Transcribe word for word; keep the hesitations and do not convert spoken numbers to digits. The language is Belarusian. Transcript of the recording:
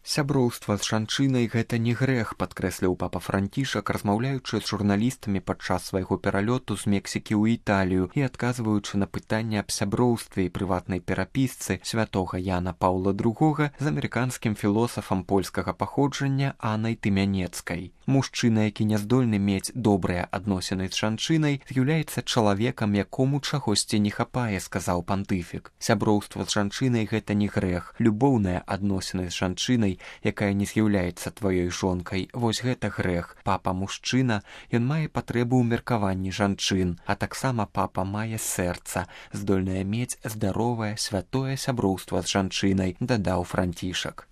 Сяброўства з жанчынай гэта не грэх, падкрэсліў папа Францішак, размаўляючы з журналістамі падчас свайго пералёту з Мексікі ў Італію і адказваючы на пытанне аб сяброўстве і прыватнай перапісцы святога Яна Паўла другога з амерыканскім філосафам польскага паходжання Аннай Тымянецкай. Мужчына, які не здольны мець добрыя адносіны з жанчынай, з'яўляецца чалавекам, якому чагосьці не хапае, сказаў пантыфік. Сяброўства з жанчынай гэта не грэх. Любоўныя адносіны з жанчынай, якая не з'яўляецца тваёй жонкай, вось гэта грэх. Папа мужчына, ён мае патрэбу ў меркаванні жанчын, а таксама папа мае сэрца, здольнае мець здаровае святое сяброўства з жанчынай, дадаў Францішак.